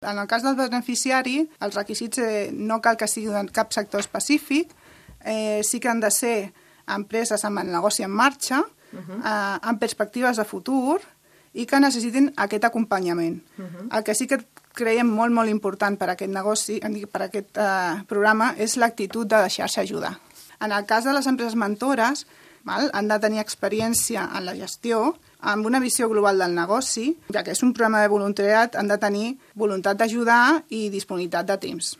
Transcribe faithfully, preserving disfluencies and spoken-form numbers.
En el cas del beneficiari, els requisits eh, no cal que sigui de cap sector específic, eh, sí que han de ser empreses amb el negoci en marxa, uh -huh. eh, amb perspectives de futur i que necessitin aquest acompanyament. Uh -huh. El que sí que creiem molt, molt important per a aquest negoci, per a aquest eh, programa, és l'actitud de deixar-se ajudar. En el cas de les empreses mentores, val, han de tenir experiència en la gestió, amb una visió global del negoci, ja que és un programa de voluntariat, han de tenir voluntat d'ajudar i disponibilitat de temps.